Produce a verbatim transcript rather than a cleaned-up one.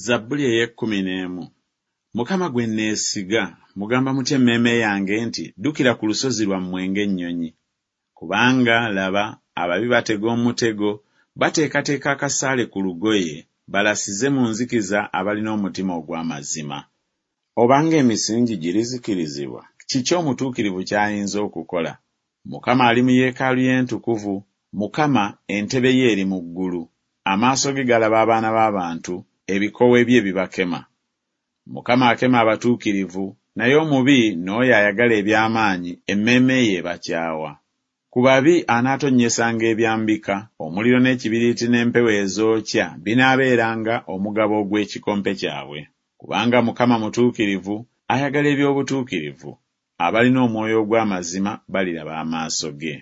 Zabbuli ey'ekkumi n'emu. Mukama gwe neesiga, mugamba mutya emmeeme yange nti, Ddukira ku lusozi lwammwe ng'ennyonyi. Kubanga, laba, ababi batega omutego, bateekateeka akasaale ku lugoye, balasize mu nzikiza abalina omutima ogw'amazima. Obanga emisingi girizikirizibwa, kiki omutuukirivu ky'ayinza okukola? Mukama ali mu yeekaalu ye entukuvu, Mukama, entebe ye eri mu ggulu. Amaaso ge galaba abaana b'abantu, ebikowe bye bibakema. Mukama akema abatuukirivu, naye omubi n'oyo ayagala eby'amaanyi, emmeeme ye ebakyawa. Ku babi anaatonnyesanga ebyambika, omuliro n'ekibiriiti n'empewo ezookya binaabeeranga omugabo ogw'ekikompe kyabwe. Kubanga Mukama mutuukirivu, ayagala eby'obutuukirivu, abalina omwoyo ogw'amazima baliraba amaaso ge.